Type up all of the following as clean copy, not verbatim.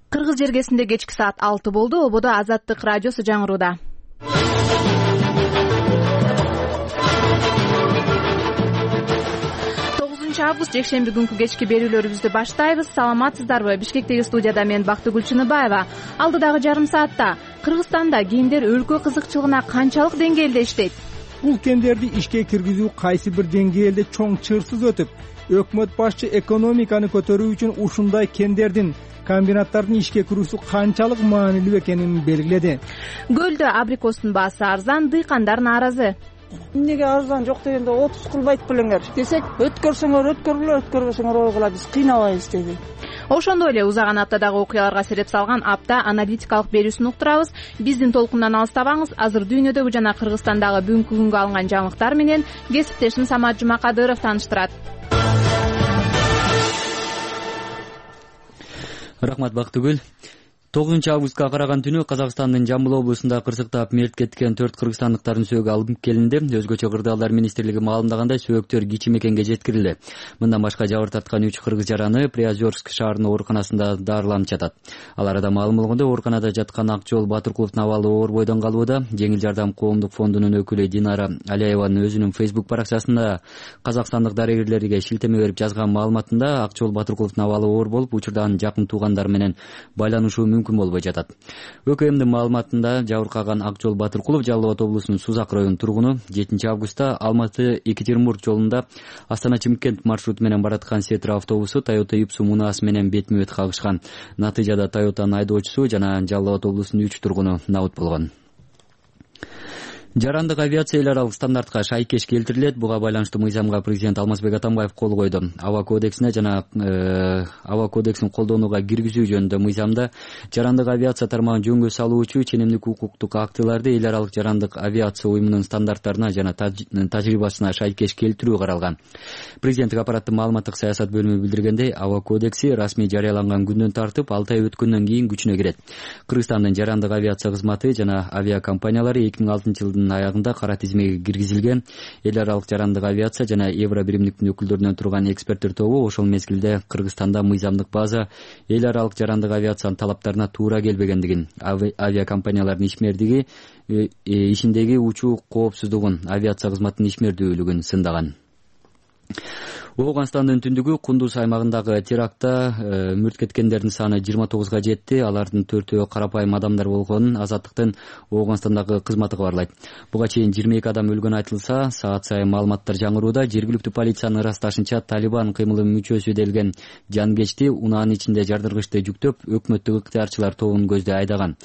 Кыргыз жергесинде кечки саат 6 болду. Ободо Азаттык радиосу жаңырууда. 9 август жекшемби күнкү кечки берүүлөрүбүздү баштайбыз. Саламатсыздарбы? Бишкектеги студияда мен Бактыгүл Чыныбаева. Алдыдагы жарым саатта Кыргызстанда кендер өлкө кызыкчылыгына канчалык деңгээлде иштейт? Бул кендерди ишке киргизүү кайсы бир деңгээлде чоң чырсыз өтүп, өкмөт башчы экономиканы көтөрүү үчүн ушундай кендердин, комбинаттардын ишке кирүүсү канчалык маанилүү экенин белгиледи. Көлдө абрикостун баасы арзан, дыйкандар нааразы. Эмнеге арзан жок дегенде 30 кылбайт белеңер десек, өткөрсөңөр өткөргүлө, өткөрбөсөңөр ойгула, биз кыйнабайбыз деди. Ошондой эле узаган аптадагы окуяларга сереп салган апта аналитикалык берүүсүн уктурабыз. Биздин толкундан алыстабаңыз. Азыр дүйнөдөгү жана Кыргызстандагы бүгүнкү күнгө алынган жаңылыктар менен кесиптешим Самат Жумакадыров тааныштырат. Рахмат Бактыгүл. 9 августка караган түнү Казакстандын Жамбыл облусунда кырсыктап мерт кеткен 4 кыргызстандыктардын сөөгү алынып келинди. Өзгөчө кырдаалдар министрлиги маалымдагандай сөөктөр кичи мекенге жеткирилди. Мындан башка жабыр тарткан 3 кыргыз жараны Приозерск шаарынын ооруканасында дарыланып жатат. Аларда маалым болгондой, ооруканада жаткан Акжол Батыркуловдун абалы оор бойдон калууда. Жеңил жардам коомдук фондунун өкүлү Динара Алиеванын өзүнүн Facebook баракчасында казакстандык дарыгерлерге шилтеме берип жазган маалыматында Акжол Батыркуловдун абалы оор болуп, учурда анын жакын туугандары менен байланышуу мүмкүн болбой жатат. ÖKMдин маалыматында жабыркаган Акжол Батыркулов Жалал Абад облусунун Сузак районунун тургуну 7 августта Алматы-Екатеринбург жолунда Астана-Чымкент маршруту менен бараткан Сетра автобусу Toyota Ipsu мунаасы менен бетме-бет кагышкан. Натыйжада Toyota'нын айдоочусу жана Жалал Абад облусунун 3 тургуну набыт болгон. Жарандык авиация эл аралык стандартка шайкеш келтирилет. Буга байланыштуу мыйзамга президент Алмазбек Атамбаев кол койду. Аба кодексине жана аба кодексин колдонууга киргизүү жөнүндө мыйзамда жарандык авиация тармагын жөнгө салуучу ченемдик укуктук актыларды эл аралык жарандык авиация уюмунун стандарттарына жана тажрыйбасына шайкеш келтирүү каралган. Президенттик аппараттын маалыматтык саясат бөлүмү билдиргендей, аба кодекси расмий жарыяланган күндөн тартып 6 ай өткөндөн кийин күчүнө кирет. Кыргызстандын жарандык авиация кызматы жана авиакомпаниялары 2006 аягында кара тизмеге киргизилген. Эл аралык жарандык авиация жана Евро биримдиктин өкүлдөрүнөн турган эксперттер тобу ошол мезгилде Кыргызстанда мыйзамдык база эл аралык жарандык авиациянын талаптарына туура келбегендигин, авиакомпаниялардын ишмердиги ишиндеги учуу коопсуздугун, авиация кызматынын ишмердүүлүгүн сындаган. Ооганстандын түндүгү Кундуз аймагындагы терактта мүрт кеткендердин саны 29га жетти. Алардын 4-өө карапайым адамдар болгонун Азаттыктын Ооганстандагы кызматы кабарлайт. Буга чейин 22 адам өлгөнү айтылса, саат сайын маалыматтар жаңырууда. Жергиликтүү полициянын ырасташынча Талибан кыймылынын мүчөсү делген жангечти унаанын ичинде жардыргычты жүктөп, өкмөттүк ыктыярчылар тобун көздөй айдаган.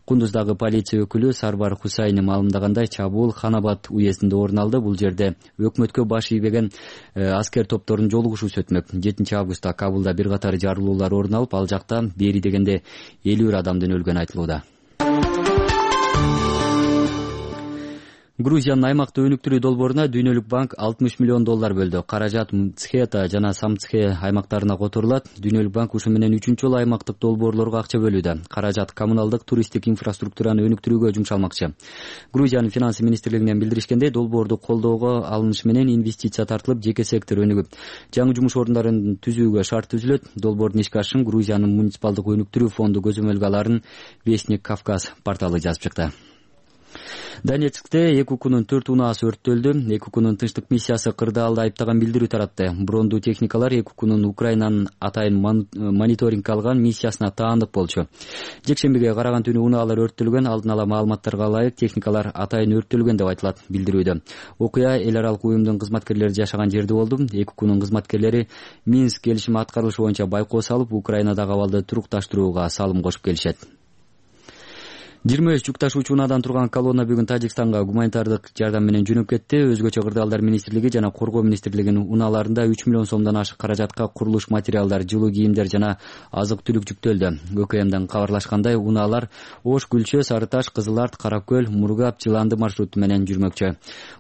Кундуздагы полиция өкүлү Сарбар Хусайни маалымдагандай, чабуул Ханабад уездинде орун алды. Бул жерде өкмөткө баш ийбеген аскер топтордун жолугушуусу өтмөк. 7 августта Кабулда бир катар жарылуулар орун алып, ал жакта бери дегенде 50 адамдын өлгөнү айтылууда. Грузиянын аймактык өнүктүрүү долбооруна Дүйнөлүк банк $60 миллион бөлдү. Каражат Мцхета жана Самцхе аймактарына которулат. Дүйнөлүк банк ушу менен 3-жолу аймактык долбоорлорго акча бөлүүдө. Каражат коммуналдык туристтик инфраструктураны өнүктүрүүгө жумшалмакчы. Грузиянын финансы министрлигинен билдиришкендей, долбоорду колдоого алыныш менен инвестиция тартылып, жеке сектор өнүгүп, жаңы жумуш орундарын түзүүгө шарт түзүлөт. Долбоордун ишке ашышын Грузиянын муниципалдык өнүктүрүү фонду көзөмөлгө аларын Вестник Кавказ порталы жазып чыкты. Донецкте ЭКУКнун 4 унаасы өрттөлдү. ЭКУКнун тынчтык миссиясы кырдаалды айыптаган билдирүү таратты. Брондуу техникалар ЭКУКнун Украинанын атайын мониторинг алган миссиясына таандык болчу. Жекшембиге караган түнү унаалар өрттөлгөн. Алдын ала маалыматтарга ылайык техникалар атайын өрттөлгөн деп айтылат билдирүүдө. Окуя эл аралык уюмдун кызматкерлери жашаган жерде болду. ЭКУКнун кызматкерлери Минск келишими аткарылышы боюнча байкоо салып, Украинадагы абалды турукташтырууга салым кошуп келишет. 23 жүк ташуучу унаадан турган колонна бүгүн Тажикстанга гуманитардык жардам менен жөнөп кетти. Өзгөчө кырдаалдар министрлиги жана коргоо министрлигинин унааларында 3 миллион сомдон ашык каражатка курулуш материалдар, жылуу кийимдер жана азык-түлүк жүктөлдү. ÖKMден кабарлашкандай, унаалар Ош, Гүлчө, Сары Таш, Кызыл Арт, Каракөл, Мургап, Жыланды маршруту менен жүрмөкчү.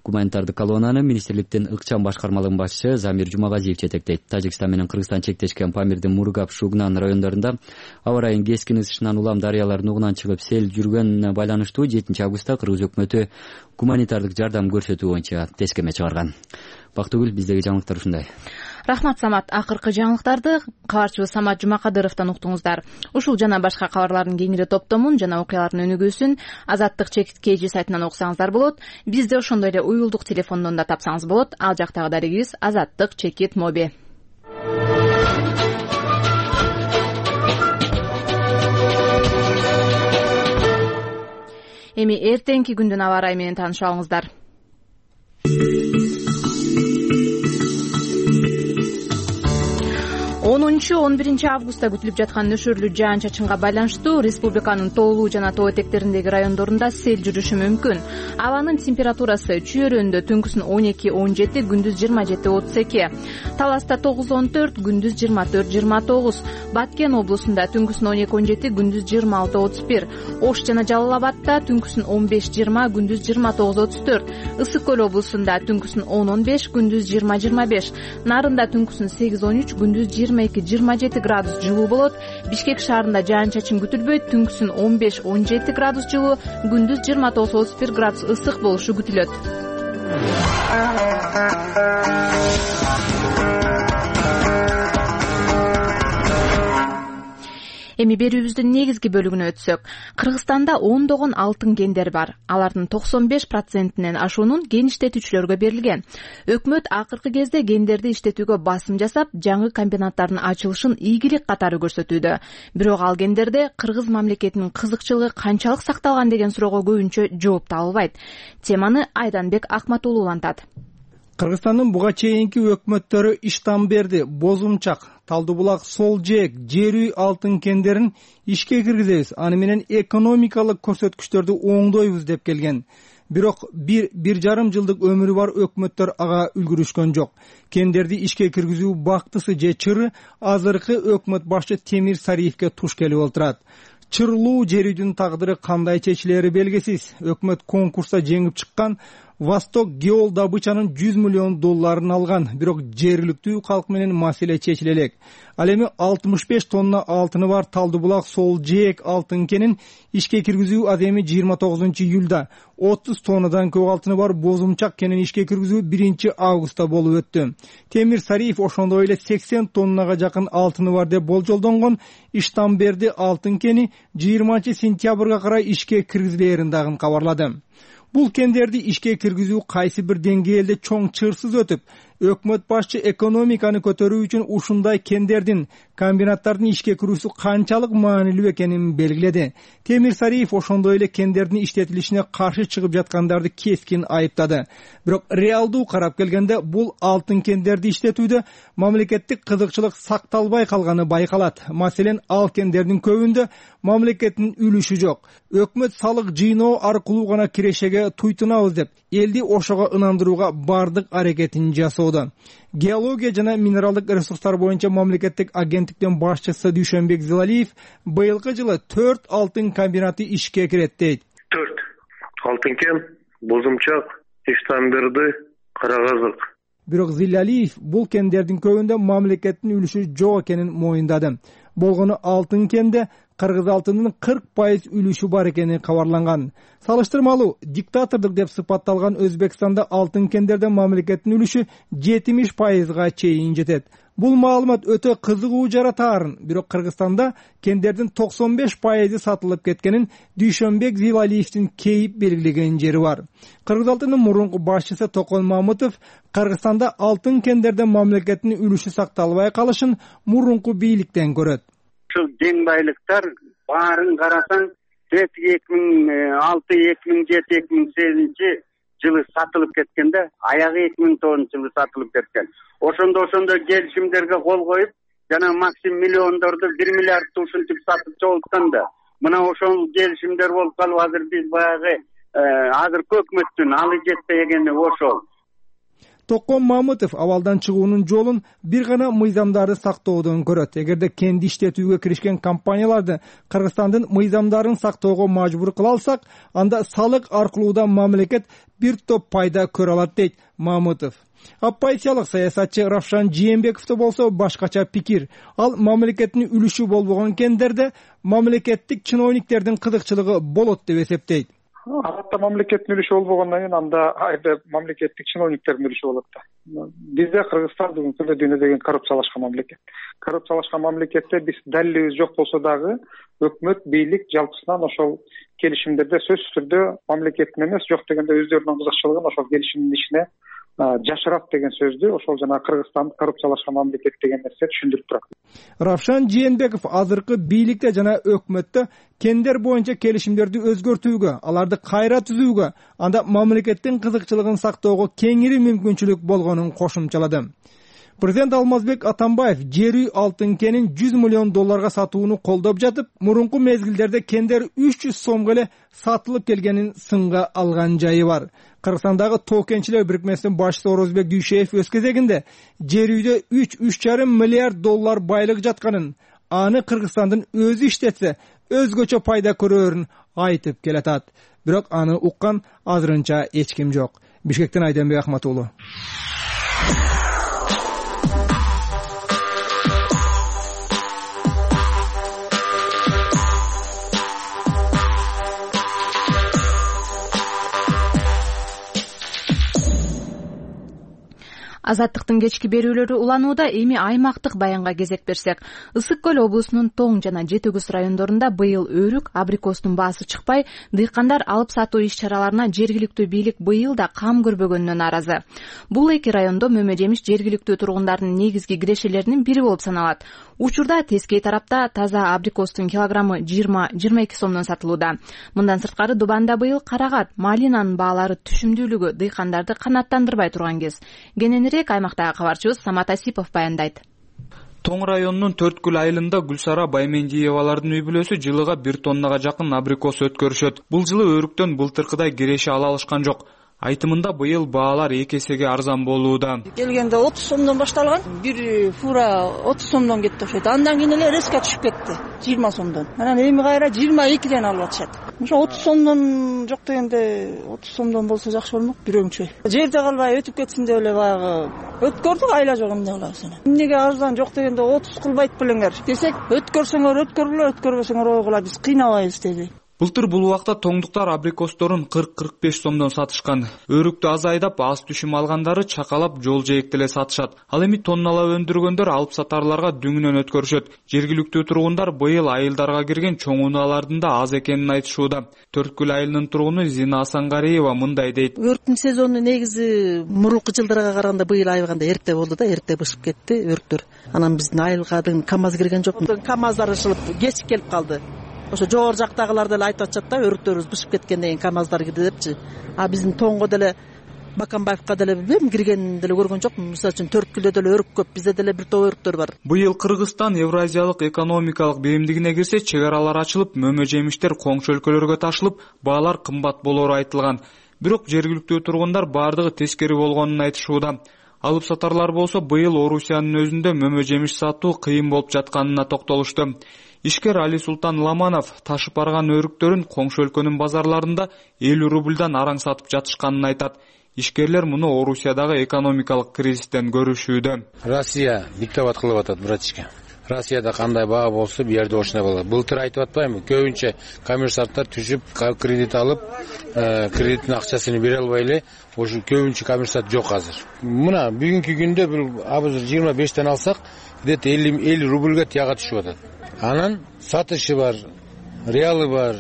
Гуманитардык колоннаны министрликтин ыкчам башкармалыгынын башчысы Замир Жумагазиев жетектейт. Тажикстан менен Кыргызстан чектешкен Памирдин Мургап, Шугнан райондорунда аба райынын кескин ысышынан улам дарыялар нугунан чыгып сел байланыштуу 7 августта Кыргыз өкмөтү гуманитардык жардам көрсөтүү боюнча тескеме чыгарган. Бактыгүл, биздеги жаңылыктар ушундай. Рахмат, Самат. Акыркы жаңылыктарды кабарчыбыз Самат Жумакадыровдон уктуңуздар. Ушул жана башка кабарлардын кеңири топтомун жана окуялардын өнүгүүсүн Азаттык ЧК сайтынан окусаңыздар болот. Бизди ошондой эле уюлдук телефондон да тапсаңыз болот. Ал жактагы дарегибиз Азаттык ЧК моби. Эми эртеңки күндүн аба ырайы менен таанышып алыңыздар. 10-11 августта күтүлүп жаткан нөшөрлүү жаан-чачынга байланыштуу республиканын тоолуу жана тоо этектериндеги райондорунда сел жүрүшү мүмкүн. Абанын температурасы Чүйөрөндө түнкүсүн 12-17, күндүз 27-32, Таласта 9-14, күндүз 24-29, Баткен облусунда түнкүсүн 12-17, күндүз 26-31, Ош жана Жалал Абадта түнкүсүн 15-20, күндүз 29-34, Ысык көл облусунда түнкүсүн 10-15, күндүз 20-25, Нарында түнкүсүн 8-13, күндүз 22-27 градус жылуу болот. Бишкек шаарында жаан-чачын күтүлбөйт, түнкүсүн 15-17 градус жылуу, күндүз 29-31 градус ысык болушу күтүлөт. Эми берүүбүздүн негизги бөлүгүнө өтсөк, Кыргызстанда ондогон алтын кендер бар. Алардын 95%-нен ашуунун кен иштетүүчүлөргө берилген. Өкмөт акыркы кезде кендерди иштетүүгө басым жасап, жаңы комбинаттардын ачылышын ийгилик катары көрсөтүүдө. Бирок ал кендерде кыргыз мамлекетинин кызыкчылыгы канчалык сакталган деген суроого көбүнчө жооп табылбайт. Теманы Айданбек Акматулуу улантат. Кыргызстандын буга чейинки өкмөттөрү Иштамберди, Бозумчак, Талды булак, Сол жээк, жер үй алтын кендерин ишке киргизебиз, аны менен экономикалык көрсөткүчтөрдү оңдойбуз деп келген. Бирок бир жарым жылдык өмүрү бар өкмөттөр ага үлгүрүшкөн жок. Кендерди ишке киргизүү бактысы же чыры азыркы өкмөт башчы Темир Сариевке туш келип отурат. Чырлуу жер үйдүн тагдыры кандай чечилери белгисиз. Өкмөт конкурста жеңип чыккан Восток геол добычанын $100 миллион алган, бирок жергиликтүү калк менен маселе чечиле элек. Ал эми 65 тонна алтыны бар Талды булак Сол жээк алтын кенин ишке киргизүү аземи 29 июлда, 30 тоннадан көп алтыны бар Бозумчак кенин ишке киргизүү 1 августта болуп өттү. Темир Сариев ошондой эле 80 тоннага жакын алтыны бар деп болжолдонгон Иштамберди алтын кени 20 сентябрга карай ишке киргизилерин дагы кабарлады. Бул кендерди ишке киргизүү кайсы бир деңгээлде чоң чырсыз өтүп, өкмөт башчы экономиканы көтөрүү үчүн ушундай кендердин, комбинаттардын ишке кирүүсү канчалык маанилүү экенин белгиледи. Темир Сариев ошондой эле кендердин иштетилишине каршы чыгып жаткандарды кескин айыптады. Бирок реалдуу карап келгенде бул алтын кендерди иштетүүдө мамлекеттик кызыкчылык сакталбай калганы байкалат. Маселен, ал кендердин көбүндө мамлекеттин үлүшү жок. Өкмөт салык жыйноо аркылуу гана кирешеге туйтунабыз деп, элди ошого ынандырууга бардык аракетин жасоодо. Геология жана минералдык ресурстар боюнча мамлекеттик агенттиктин башчысы Дүйшөнбек Зилалиев быйылкы жылы 4 алтын комбинаты ишке кирет дейт. 4 алтын кен, Бозумчак, Иштамберди, Карагазык. Бирок Зилалиев бул кендердин көбүндө мамлекеттин үлүшү жок экенин моюндады. Болгону алтын кенде кыргыз алтынынын 40% үлүшү бар экени кабарланган. Салыштырмалуу диктатордук деп сыпатталган Өзбекстанда алтын кендерде мамлекеттин үлүшү 70%га чейин жетет. Бул маалымат өтө кызыгуу жаратаарын, бирок Кыргызстанда кендердин 95% сатылып кеткенин Дүйшөнбек Зилалиевдин кейип белгилеген жери бар. Кыргыз алтынынын мурунку башчысы Токон Мамытов Кыргызстанда алтын кендерде мамлекеттин үлүшү сакталбай калышын мурунку бийликтен көрөт. Ушул кең байлыктар баарын карасаң 2006-2007-2008 жылы сатылып кеткенде, аягы 2009 жылы сатылып кеткен. Ошондо келишимдерге кол коюп, жана максим миллиондорду 1 миллиард ушинтип сатып жолутканда, мына ошол келишимдер болуп калып, азыр биз баягы азыркы өкмөттүн алы жетпегени ошол. Токон Мамытов абалдан чыгуунун жолун бир гана мыйзамдарды сактоодон көрөт. Эгерде кенди иштетүүгө киришкен компанияларды Кыргызстандын мыйзамдарын сактоого мажбур кыла алсак, анда салык аркылуу да мамлекет бир топ пайда көрө алат дейт Мамытов. Оппозициялык саясатчы Равшан Жээнбековдо болсо башкача пикир. Ал мамлекеттин үлүшү болбогон кендерде мамлекеттик чиновниктердин кызыкчылыгы болот деп эсептейт. Алатта мамлекеттин үлүшү болбогондон кийин анда айда мамлекеттик чиновниктердин үлүшү болот да. Бизде Кыргызстан бүгүнкү күндө дүйнөдөгү коррупциялашкан мамлекет. Коррупциялашкан мамлекетте биз далилибиз жок болсо дагы өкмөт, бийлик жалпысынан ошол келишимдерде сөзсүз түрдө мамлекеттин эмес, жок дегенде өздөрүнүн кызыкчылыгын ошол келишимдин ичине жашырат деген сөздү ошол жана Кыргызстан коррупциялашкан мамлекет деген нерсе түшүндүрүп турат. Равшан Жээнбеков азыркы бийликте жана өкмөттө кендер боюнча келишимдерди өзгөртүүгө, аларды кайра түзүүгө, анда мамлекеттин кызыкчылыгын сактоого кеңири мүмкүнчүлүк болгонун кошумчалады. Президент Алмазбек Атамбаев жер үй алтын кенин $100 миллион сатууну колдоп жатып, мурунку мезгилдерде кендер 300 сомго эле сатылып келгенин сынга алган жайы бар. Кыргызстандагы тоо кенчилер бирикмесинин башчысы Орозбек Дүйшеев өз кезегинде жер үйдө $3,5 миллиард байлык жатканын, аны Кыргызстандын өзү иштетсе, өзгөчө пайда көрөрүн айтып келатат. Бирок аны уккан азырынча эч ким жок. Бишкектен Айденбек Ахмат уулу. Азаттыктын кечки берүүлөрү уланууда. Эми аймактык баянга кезек берсек, Ысык көл облусунун Тоң жана Жети Күз райондорунда быйыл өрүк, абрикостун баасы чыкпай, дыйкандар алып сатуу иш-чараларына жергиликтүү бийлик быйыл да кам көрбөгөнүнө нааразы. Бул эки райондо мөмө жемиш жергиликтүү тургундардын негизги кирешелеринин бири болуп саналат. Учурда тескей тарапта таза абрикостун килограммы 20-22 сомдон сатылууда. Мындан сырткары Дубанда быйыл карагат, малинанын баалары түшүмдүүлүгү дыйкандарды канааттандырбай турган кез. Кененирээк аймактагы кабарчыбыз Самат Асипов баяндайт. Тоң районунун Төрткүл айылында Гүлсара Баймендиевалардын үй бүлөсү жылыга 1 тоннага жакын абрикос өткөрүшөт. Бул жылы өрүктөн былтыркыдай киреше ала алышкан жок. Айтымында быйыл баалар 2 эсеге арзан болууда. Келгенде 30 сомдон башталган, бир фура 30 сомдон кетти окшойт. Андан кийин эле резко түшүп кетти, 20 сомдон. Анан эми кайра 22ден алып атышат. Ошо 30 сомдон жок дегенде 30 сомдон болсо жакшы болмок, бирөөңчө. Жерде калбай өтүп кетсин деп эле баягы өткөрдүк, айла жок эмне кылабыз эне. Эмнеге арзан жок дегенде 30 кылбайт белеңер десек, өткөрсөңөр өткөргүлө, өткөрбөсөңөр ойгула, биз кыйнабайбыз деди. Былтыр бул убакта тоңдуктар абрикосторун 40-45 сомдон сатышкан. Өрүктү аз айдап, аз түшүм алгандары чакалап жол жээкте эле сатышат. Ал эми тонналап өндүргөндөр алып сатарларга дүңүнөн өткөрүшөт. Жергиликтүү тургундар быйыл айылдарга кирген чоң унаалардын да аз экенин айтышууда. Төрткүл айылынын тургуну Зина Асангариева мындай дейт. Өрүктүн сезону негизи мурунку жылдарга караганда быйыл айылганда эрте болду да, эрте бышып кетти өрүктөр. Анан биздин айылга КАМАЗ кирген жок. КАМАЗдар ышылып кеч келип калды. Ошо жогору жактагылар деле айтып атышат да, өрүктөрүбүз бышып кеткен деген КАМАЗдар кирди депчи. А биздин Тоңго деле Баканбаевка деле билбейм, киргенин деле көргөн жокмун. Мисалы үчүн Төрткүлдө деле өрүк көп, бизде деле бир топ өрүктөр бар. Быйыл Кыргызстан Евразиялык экономикалык биримдигине кирсе, чек аралар ачылып, мөмө жемиштер коңшу өлкөлөргө ташылып, баалар кымбат болору айтылган. Бирок жергиликтүү тургундар бардыгы тескери болгонун айтышууда. Алып сатарлар болсо быйыл Орусиянын өзүндө мөмө жемиш сатуу кыйын болуп жатканына токтолушту. Ишкер Али Султан Ламанов ташып барган өрүктөрүн коңшу өлкөнүн базарларында 50 рубльдан араң сатып жатышканын айтат. Ишкерлер муну Орусиядагы экономикалык кризистен көрүшүүдө. Россия диктоват кылып атат, братишка. Россияда кандай баа болсо, бу жерде ошондой болот. Былтыр айтып атпаймынбы? Көбүнчө коммерсанттар түшүп, кредит алып, кредиттин акчасын бере албай эле, ошо көбүнчө коммерсант жок азыр. Мына бүгүнкү күндө бул азыр 25тен алсак, где-то 50 рубльга тияга түшүп атат. Анан сатышы бар, реалы бар.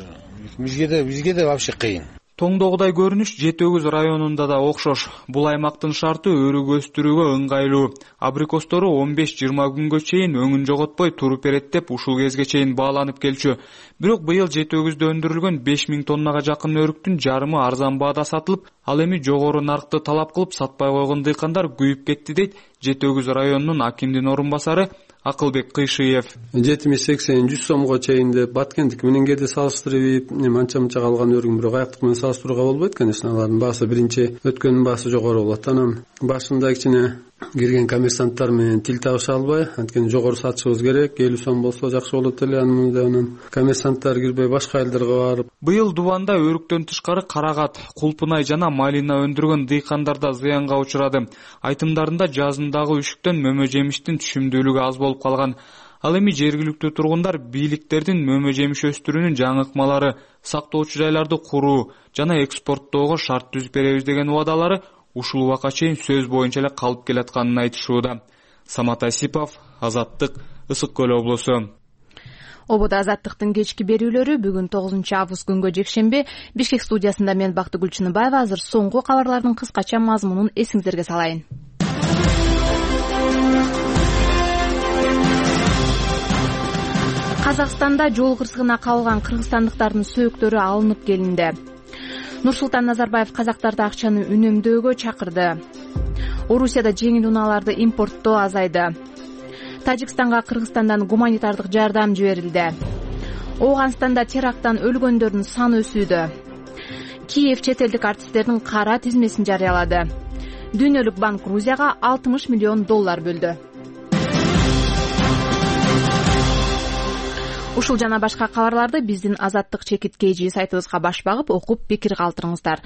Бизге да вообще кыйын. Тоңдогудай көрүнүш Жети Күз районунда да окшош. Бул аймактын шарты өрүк өстүрүүгө ыңгайлуу. Абрикостору 15-20 күнгө чейин өңүн жоготпой туруп берет деп ушул кезге чейин бааланып келчү. Бирок быйыл Жети Күздө өндүрүлгөн 5000 тоннага жакын өрүктүн жарымы арзан баада сатылып, ал эми жогору наркты талап кылып сатпай койгон дыйкандар күйүп кетти дейт Жети Күз районунун акимдин орун басары Акылбек Кыйшиев. 70-80-100 сомго чейин деп Баткендик менен кээде салыштырып, анча-мынча калган өрүк бирок аяктык менен салыштырууга болбойт, конечно, алардын баасы биринчи өткөндүн баасы жогору болот. Анан башында кичине кирген коммерсанттар менен тил табыша албай, анткени жогору сатышыбыз керек, 50 сом болсо жакшы болот эле. Анан коммерсанттар кирбей башка айылдарга барып. Быйыл Дубанда өрүктөн тышкары карагат, кулпунай жана малина өндүргөн дыйкандар да зыянга учурады. Айтымдарында жазындагы үшүктөн мөмө жемиштин түшүмдүүлүгү аз болуп калган. Ал эми жергиликтүү тургундар бийликтердин мөмө жемиш өстүрүүнүн жаңы ыкмалары, сактоочу жайларды куруу жана экспорттоого шарт түзүп беребиз деген убадалары ушул убакка чейин сөз боюнча эле калып келатканын айтышууда. Самат Асипов, Азаттык, Ысык Көл облусу. Ободо Азаттыктын кечки берүүлөрү бүгүн 9 август күнгө жекшемби Бишкек студиясында мен Бактыгүл Чыныбаева. Азыр соңку кабарлардын кыскача мазмунун эсиңиздерге салайын. Казакстанда жол кырсыгына кабылган кыргызстандыктардын сөөктөрү алынып келинди. Нурсултан Назарбаев казактарды акчаны үнөмдөөгө чакырды. Орусияда жеңил унааларды импорттоо азайды. Тажикстанга Кыргызстандан гуманитардык жардам жиберилди. Ооганстанда теракттан өлгөндөрдүн саны өсүүдө. Киев чет элдик артисттердин кара тизмесин жарыялады. Дүйнөлүк банк Грузияга $60 миллион бөлдү. Ушул жана башка кабарларды биздин Азаттык чекит.kg сайтыбызга баш багып окуп пикир калтырыңыздар.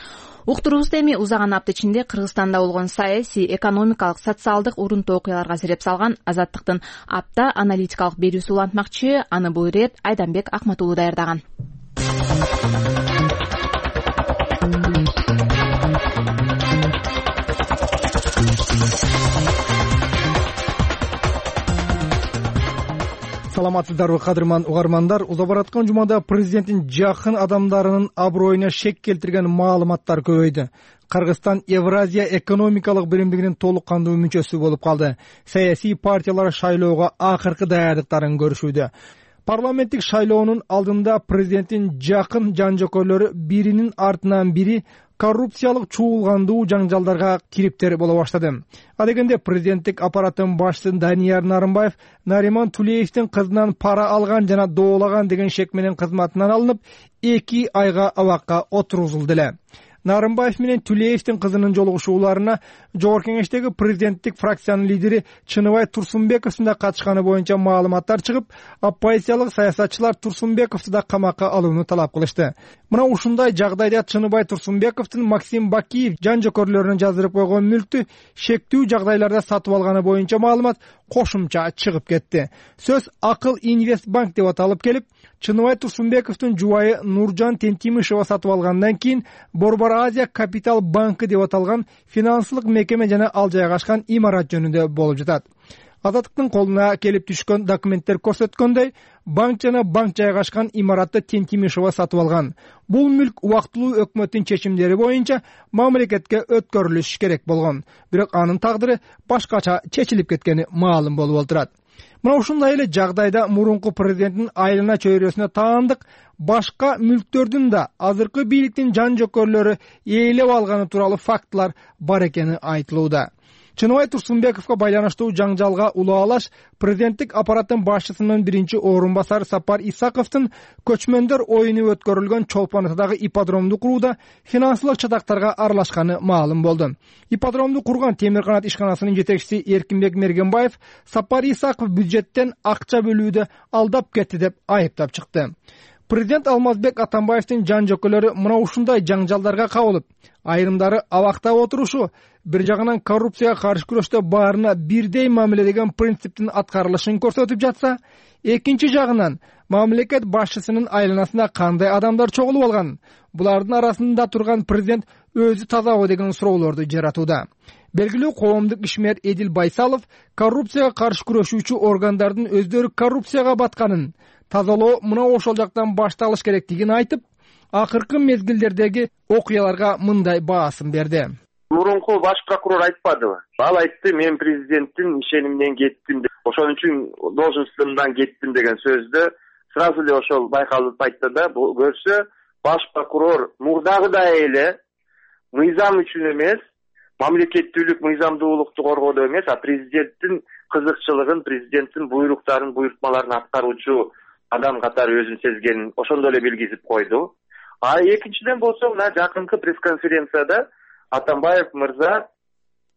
Уктуруубузда эми узаган апта ичинде Кыргызстанда болгон саясий, экономикалык, социалдык урунтуу окуяларга себеп салган Азаттыктын апта аналитикалык берүүсү улантмакчы. Аны бул ирет Айданбек Акматуулу даярдаган. Саламатсыздарбы кадырман угармандар. Уза бараткан жумада президенттин жакын адамдарынын аброюна шек келтирген маалыматтар көбөйдү. Кыргызстан Евразия экономикалык биримдигинин толук кандуу мүчөсү болуп калды. Саясий партиялар шайлоого акыркы даярдыктарын көрүшүүдө. Парламенттик шайлоонун алдында президенттин жакын жан-жокойлору биринин артынан бири коррупциялык чуулгандуу жаңжалдарга кириптер боло баштады. Адегенде президенттик аппараттын башчысы Данияр Нарымбаев Нариман Тулеевдин кызынан пара алган жана доолаган деген шек менен кызматынан алынып 2 айга абакка отургузулду эле. Нарымбаев менен Тулеевдин кызынын жолугушууларына Жогорку Кеңештеги президенттик фракциянын лидери Чыныбай Турсунбековдун да катышканы боюнча маалыматтар чыгып, оппозициялык саясатчылар Турсунбековду да камакка алууну талап кылышты. Мына ушундай жагдайда Чыныбай Турсунбековдун Максим Бакиев жан-жокерлөрүнө жаздырып койгон мүлктү шектүү жагдайларда сатып алганы боюнча маалымат кошумча чыгып кетти. Сөз Акыл Инвестбанк деп аталып келип, Чыныбай Турсунбековдун жубайы Нуржан Тентимишева сатып алгандан кийин Борбор Азия Капитал банкы деп аталган финансылык мекеме жана ал жайгашкан имарат жөнүндө болуп жатат. Азаттыктын колуна келип түшкөн документтер көрсөткөндөй, банк жана банк жайгашкан имаратты Тентимишева сатып алган. Бул мүлк убактылуу өкмөттүн чечимдери боюнча мамлекетке өткөрүлүш керек болгон. Бирок анын тагдыры башкача чечилип кеткени маалым болуп отурат. Мына ушундай эле жагдайда мурунку президенттин айлана чөйрөсүнө таандык башка мүлктөрдүн да азыркы бийликтин жан-жокерлөрү ээлеп алганы тууралуу фактылар бар экени айтылууда. Чыныбай Турсунбековго байланыштуу жаңжалга улаалаш президенттик аппараттын башчысынын биринчи орун басары Сапар Исаковдун көчмөндөр оюну өткөрүлгөн Чолпон атадагы ипподромду курууда финансылык чатактарга аралашканы маалым болду. Ипподромду курган Темир канат ишканасынын жетекчиси Эркинбек Мергенбаев Сапар Исаков бюджеттен акча бөлүүдө алдап кетти деп айыптап чыкты. Президент Алмазбек Атамбаевдин жан-жокөлөрү мына ушундай жаңжалдарга кабылып, айрымдары абакта отурушу, бир жагынан коррупцияга каршы күрөштө баарына бирдей мамиле деген принциптин аткарылышын көрсөтүп жатса, экинчи жагынан мамлекет башчысынын айланасында кандай адамдар чогулуп алган? Булардын арасында турган президент өзү тазабы деген суроолорду жаратууда. Белгилүү коомдук ишмер Эдил Байсалов коррупцияга каршы күрөшүүчү органдардын өздөрү коррупцияга батканын, тазалоо мына ошол жактан башталыш керектигин айтып, акыркы мезгилдердеги окуяларга мындай баасын берди. Мурунку баш прокурор айтпадыбы? Ал айтты, мен президенттин ишениминен кеттим деп, ошон үчүн должностумдан кеттим деген сөздү сразу эле ошол байкалып айтты да, көрсө баш прокурор мурдагыдай эле мыйзам үчүн эмес, мамлекеттүүлүк, мыйзамдуулукту коргоодо эмес, а президенттин кызыкчылыгын, президенттин буйруктарын, буйртмаларын аткаруучу адам катары өзүн сезгенин ошондой эле билгизип койду. А экинчиден болсо, мына жакынкы пресс-конференцияда Атамбаев мырза,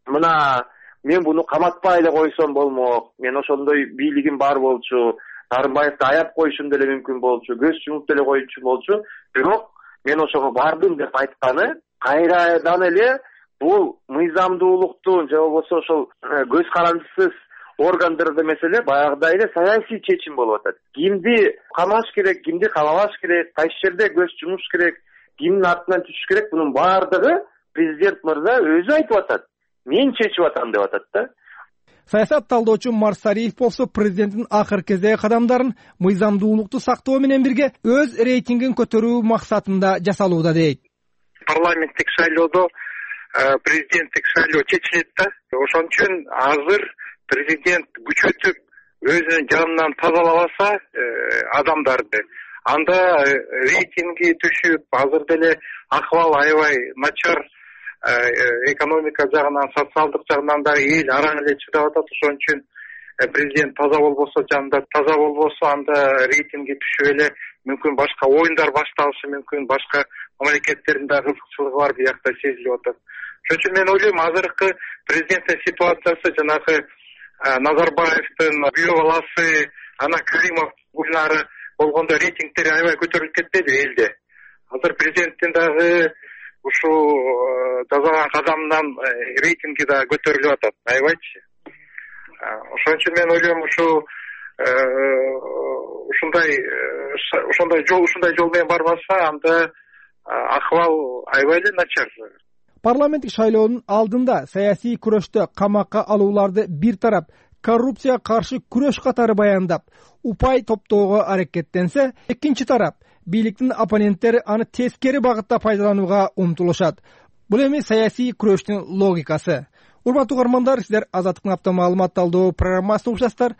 мына мен буну каматпай эле койсом болмок, мен ошондой бийлигим бар болчу, Нарымбаевди аяп коюшум деле мүмкүн болчу, көз жумуп деле коюучу болчу, бирок мен ошого бардым деп айтканы кайрадан эле бул мыйзамдуулуктун же болбосо ошол көз карандысыз органдарда маселе баягыдай эле саясий чечим болуп атат. Кимди камаш керек, кимди камабаш керек, кайсы жерде көз жумуш керек, кимдин артынан түшүш керек, бунун баардыгы президент мырза өзү айтып атат. Мен чечип атам деп атат да. Саясат талдоочу Марс Сариев болсо президенттин акыркы кездеги кадамдарын мыйзамдуулукту сактоо менен бирге өз рейтингин көтөрүү максатында жасалууда дейт. Парламенттик шайлоодо президенттик шайлоо чечилет да. Ошон үчүн азыр президент күчөтүп өзүнүн жанынан тазалабаса адамдарды, анда рейтинги түшүп, азыр деле акыбал аябай начар, экономика жагынан, социалдык жагынан да эл араң эле чыдап атат. Ошон үчүн президент таза болбосо, жанында таза болбосо, анда рейтинги түшүп эле мүмкүн башка оюндар башталышы мүмкүн, башка мамлекеттердин да кызыкчылыгы бар биякта сезилип атат. Ошон үчүн мен ойлойм, азыркы президенттин ситуациясы жанагы Назарбаевдин күйөө баласы Ана Каримов уйнары болгондо рейтингтери аябай көтөрүлүп кетпеди элде. Азыр президенттин дагы ушул жасаган кадамынан рейтинги да көтөрүлүп атат, аябайчы. Ошон үчүн мен ойлойм, ушундай жол менен барбаса, анда акыбал аябай эле начар. Парламенттик шайлоонун алдында саясий күрөштө камакка алууларды бир тарап коррупцияга каршы күрөш катары баяндап, упай топтоого аракеттенсе, экинчи тарап бийликтин оппоненттери аны тескери багытта пайдаланууга умтулушат. Бул эми саясий күрөштүн логикасы. Урматтуу угармандар, сиздер Азаттыктын автомаалымат талдоо программасын угушасыздар.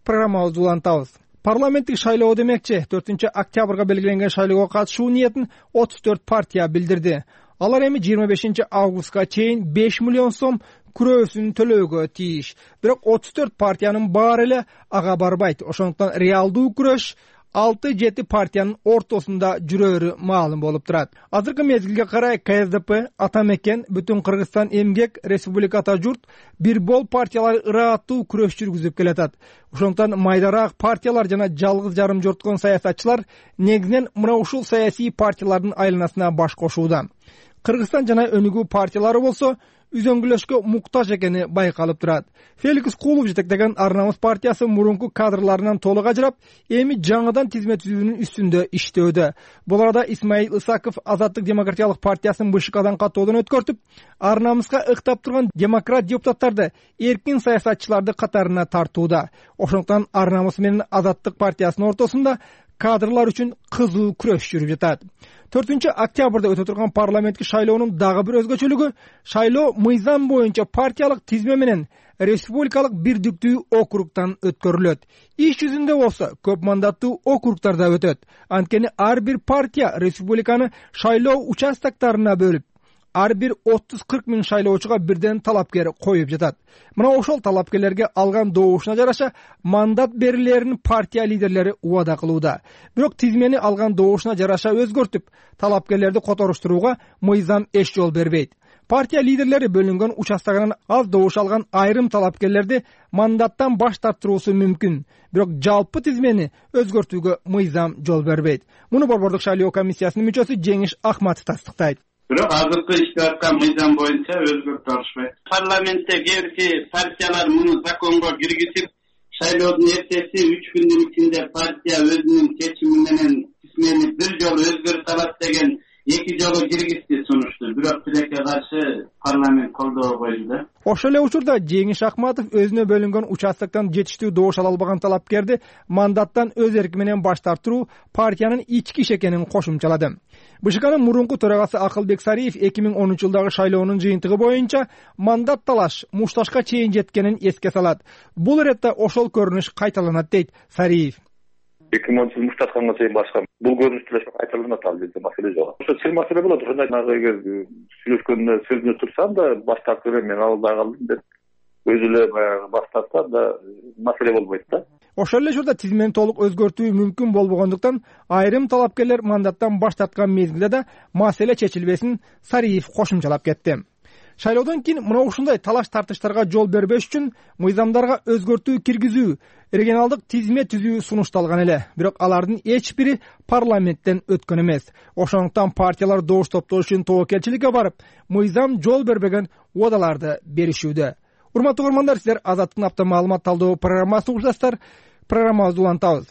Программабызды улантабыз. Парламенттик шайлоо демекчи 4 октябрга белгиленген шайлоого катышуу ниетин 34 партия билдирди. Алар эми 25 августка чейин 5 миллион сом күрөөсүн төлөөгө тийиш. Бирок 34 партиянын баары эле ага барбайт. Ошондуктан реалдуу күрөш 6-7 партиянын ортосунда жүрөөрү маалым болуп турат. Азыркы мезгилге карай КСДП, Атамекен, Бүтүн Кыргызстан эмгек, Республика Ата журт, бир бол партиялар ырааттуу күрөш жүргүзүп келатат. Ошондуктан майдараак партиялар жана жалгыз жарым жорткон саясатчылар негизинен мына ушул саясий партиялардын айланасына баш кошууда. Кыргызстан жана өнүгүү партиялары болсо үзөңгүлөшкө муктаж экени байкалып турат. Феликс Кулов жетектеген Ар Намыс партиясы мурунку кадрларынан толук ажырап, эми жаңыдан тизме түзүүнүн үстүндө иштөөдө. Бул арада Исмаил Исаков Азаттык демократиялык партиясын БШКдан каттоодон өткөртүп, Ар Намыска ыктап турган демократ депутаттарды эркин саясатчыларды катарына тартууда. Ошондуктан Ар Намыс менен Азаттык партиясынын ортосунда кадрлар үчүн кызуу күрөш жүрүп жатат. 4 октябрда өтө турган парламенттик шайлоонун дагы бир өзгөчөлүгү, шайлоо мыйзам боюнча партиялык тизме менен республикалык бирдиктүү округтан өткөрүлөт. Иш жүзүндө болсо көп мандаттуу округтарда өтөт. Анткени ар бир партия республиканы шайлоо участоктарына бөлүп, ар бир 30-40 миң шайлоочуга бирден талапкер коюп жатат. Мына ошол талапкерлерге алган добушуна жараша мандат берилерин партия лидерлери убада кылууда. Бирок тизмени алган добушуна жараша өзгөртүп, талапкерлерди которуштурууга мыйзам эч жол бербейт. Партия лидерлери бөлүнгөн участогунан аз добуш алган айрым талапкерлерди мандаттан баш тартыруусу мүмкүн. Бирок жалпы тизмени өзгөртүүгө мыйзам жол бербейт. Муну Борбордук шайлоо комиссиясынын мүчөсү Жеңиш Акматов тастыктайт. Бирок азыркы ишке аткан мыйзам боюнча өзгөртүп алышпайт. Парламентте кээ бир партиялар муну законго киргизип, шайлоодун эртеси 3 күндүн ичинде партия өзүнүн чечими менен тизмени бир жолу өзгөртүп алат деген 2 жолу киргизди сунушту. Бирок тилекке каршы парламент колдоо койду да. Ошол эле учурда Жеңиш Акматов өзүнө бөлүнгөн участоктон жетиштүү добуш ала албаган талапкерди мандаттан өз эрки менен баш тартыруу партиянын ички иши экенин кошумчалады. БШКнын мурунку төрагасы Акылбек Сариев 2010 жылдагы шайлоонун жыйынтыгы боюнча мандат талаш мушташка чейин жеткенин эске салат. Бул иретте ошол көрүнүш кайталанат дейт Сариев. 2010 жыл мушташканга чейин башка бул көрүнүш деле кайталанат, ал жерде маселе жок. Ошо чын маселе болот. Ошондой эгер сүйлөшкөндө сөзүнө турсам да баш тартып мен албай калдым деп өзү эле баягы баш тартса да маселе болбойт да. Ошол эле учурда тизмени толук өзгөртүү мүмкүн болбогондуктан айрым талапкерлер мандаттан баш тарткан мезгилде да маселе чечилбесин Сариев кошумчалап кетти. Шайлоодон кийин мына ушундай талаш тартыштарга жол бербеш үчүн мыйзамдарга өзгөртүү киргизүү, регионалдык тизме түзүү сунушталган эле. Бирок алардын эч бири парламенттен өткөн эмес. Ошондуктан партиялар добуш топтоо үчүн тобокелчиликке барып, мыйзам жол бербеген убадаларды беришүүдө. урматтуу көрөрмандар, сиздер Азаттыктын апта маалымат талдоо программасын угушасыздар. Программабызды улантабыз.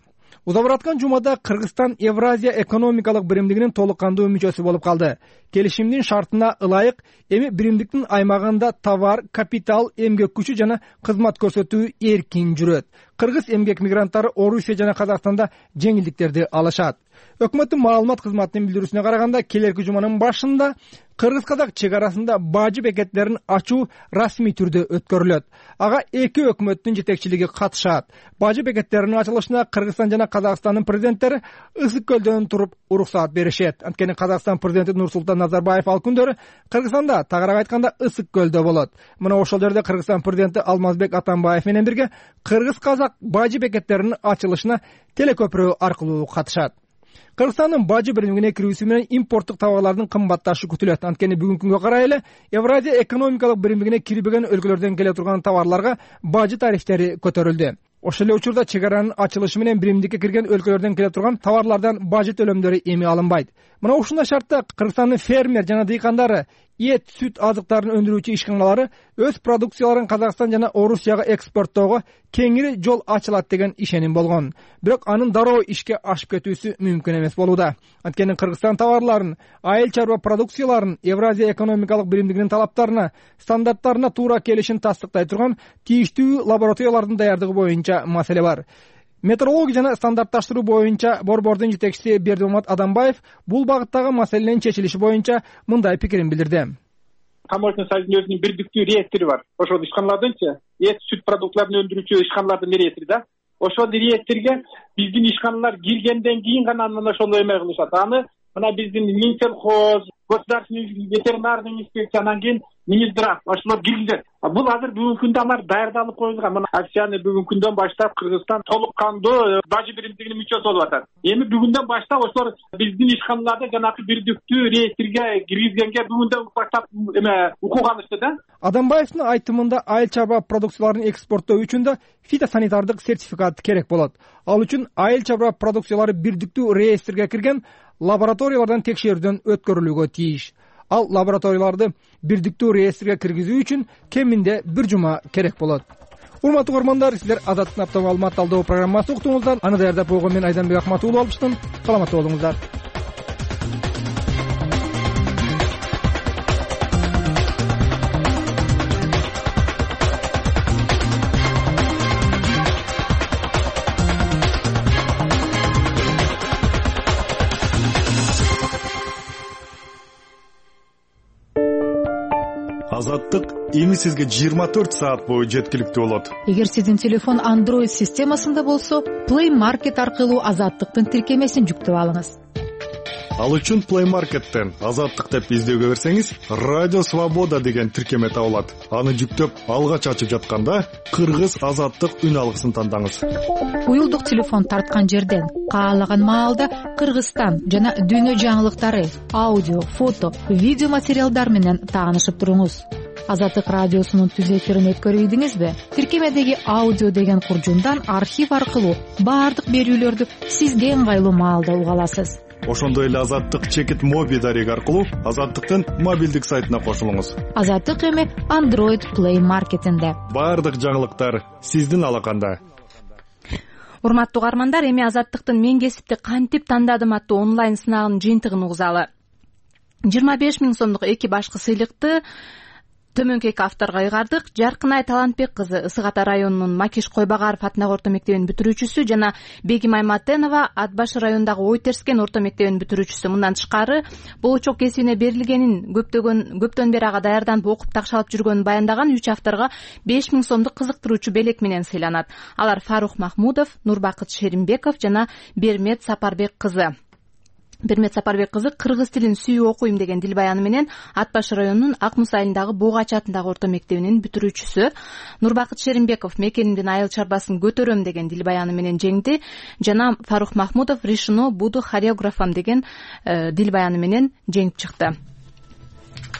Удап бараткан жумада Кыргызстан Евразия экономикалык биримдигинин толук кандуу мүчөсү болуп калды. Келишимдин шартына ылайык эми биримдиктин аймагында товар, капитал, эмгек күчү жана кызмат көрсөтүү эркин жүрөт. Кыргыз эмгек мигранттары Орусия жана Казакстанда жеңилдиктерди алышат. Өкмөттүн маалымат кызматынын билдирүүсүнө караганда, келерки жуманын башында Кыргыз-Казак чек арасында бажы бекеттерин ачуу расмий түрдө өткөрүлөт. Ага эки өкмөттүн жетекчилиги катышат. Бажы бекеттеринин ачылышына Кыргызстан жана Казакстандын президенттери Ысык көлдөн туруп уруксаат беришет. Анткени Казакстан президенти Нурсултан Назарбаев ал күндөрү Кыргызстанда, тагыраак айтканда Ысык көлдө болот. Мына ошол жерде Кыргызстан президенти Алмазбек Атамбаев менен бирге Кыргыз-Казак бажы бекеттеринин ачылышына телекөпүрө аркылуу катышат. Кыргызстандын бажы биримине кирүүсү менен импорттук товарлардын кымбатташы күтүлөт. Анткени бүгүнкү күнгө карай эле Евразия экономикалык биримдигине кирбеген өлкөлөрдөн келе турган товарларга бажы тарифтери көтөрүлдү. Ошол эле учурда чек аранын ачылышы менен биримдикке кирген өлкөлөрдөн келе турган товарлардан бажы төлөмдөрү эми алынбайт. Мына ушундай шартта Кыргызстандын фермер жана дыйкандары, эт, сүт азыктарын өндүрүүчү ишканалары өз продукцияларын Казакстан жана Орусияга экспорттоого кеңири жол ачылат деген ишеним болгон. Бирок анын дароо ишке ашып кетүүсү мүмкүн эмес болууда. Анткени Кыргызстан товарларын, айыл чарба продукцияларын Евразия экономикалык биримдигинин талаптарына, стандарттарына туура келишин тастыктай турган тийиштүү лабораториялардын даярдыгы боюнча маселе бар. Метрология жана стандартташтыруу боюнча борбордун жетекчиси Бердимамат Адамбаев бул багыттагы маселенин чечилиши боюнча мындай пикирин билдирди. Таможенный союздун өзүнүн бирдиктүү реестри бар. Ошол ишканалардынчы эт, сүт продуктларын өндүрүүчү ишканалардын реестри да. Ошол реестрге биздин ишканалар киргенден кийин гана мына ошол эме кылышат. Аны мына биздин Минсельхоз, государственный ветеринарный инспекция, анан кийин Минздрав ошолор киргизет. Бул азыр бүгүнкү күндө алар даярдалып коюлган. Мына акцияны бүгүнкү күндөн баштап Кыргызстан толук кандуу бажы биримдигинин мүчөсү болуп атат. Эми бүгүндөн баштап ошолор биздин ишканаларды жанагы бирдиктүү реестрге киргизгенге бүгүндөн баштап эме укук алышты да. Адамбаевдин айтымында айыл чарба продукцияларын экспорттоо үчүн да фитосанитардык сертификат керек болот. Ал үчүн айыл чарба продукциялары бирдиктүү реестрге кирген лабораториялардан текшерүүдөн өткөрүлүүгө тийиш. Ал лабораторияларды бирдиктүү реестрге киргизүү үчүн кеминде 1 жума керек болот. Урматтуу көрөрмандар, сиздер Азаттыктын апта маалымат талдоо программасын уктуңуздар. Аны даярдап койгон мен Айданбек Акматуулов алыштым. Саламатта болуңуздар. Азаттык эми сизге 24 саат бою жеткиликтүү болот. Эгер сиздин телефон Android системасында болсо, Play Market аркылуу Азаттыктын тиркемесин жүктөп алыңыз. Ал үчүн Play Market'тен Азаттык деп издөөгө берсеңиз, Радио Свобода деген тиркеме табылат. Аны жүктөп алгач ачып жатканда Кыргыз Азаттык үн алгысын тандаңыз. Уюлдук телефон тарткан жерден каалаган маалда Кыргызстан жана дүйнө жаңылыктары, аудио, фото, видео материалдар менен таанышып туруңуз. Азаттык радиосунун түз эфирин өткөрүйдүңүзбү? Тиркемедеги аудио деген куржундан архив аркылуу баардык берүүлөрдү сизге ыңгайлуу маалда уга аласыз. Ошондой эле Азаттык чекит моби дареги аркылуу Азаттыктын мобилдик сайтына кошулуңуз. Азаттык эми Android Play Market'инде. Баардык жаңылыктар сиздин алаканда. Урматтуу угармандар, эми Азаттыктын мен кесипти кантип тандадым аттуу онлайн сынагынын жыйынтыгын угузалы. 25 000 сомдук эки башкы сыйлыкты төмөнкү эки авторго ыйгардык. Жаркынай Талантбек кызы Ысык Ата районунун Макиш Койбагаров атындагы орто мектебинин бүтүрүүчүсү жана Бегим Айматенова Ат башы районундагы Ой Терскен орто мектебинин бүтүрүүчүсү. Мындан тышкары болочок кесибине берилгенин көптөн бери ага даярданып окуп такшалып жүргөнүн баяндаган 3 авторго 5 000 сомдук кызыктыруучу белек менен сыйланат. Алар Фарух Махмудов, Нурбакыт Шеримбеков жана Бермет Сапарбек кызы. Бермет Сапарбек кызы кыргыз тилин сүйүп окуйм деген дил баяны менен Ат башы районунун Ак Муса айылындагы Буугач атындагы орто мектебинин бүтүрүүчүсү. Нурбакыт Шеримбеков мекенимдин айыл чарбасын көтөрөм деген дил баяны менен жеңди жана Фарух Махмудов решено буду хореографом деген дил баяны менен жеңип чыкты.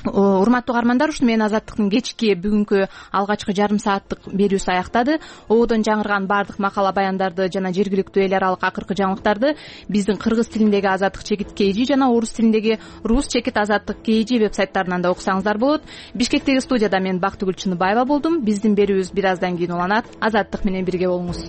Урматтуу угармандар, ушуну менен Азаттыктын кечки бүгүнкү алгачкы жарым сааттык берүүсү аяктады. Ободон жаңырган баардык макала баяндарды жана жергиликтүү эл аралык акыркы жаңылыктарды биздин кыргыз тилиндеги Азаттык чекит KG жана орус тилиндеги Рус чекит Азаттык KG веб сайттарынан да окусаңыздар болот. Бишкектеги студияда мен Бактыгүл Чыныбаева болдум. Биздин берүүбүз бир аздан кийин уланат. Азаттык менен бирге болуңуз.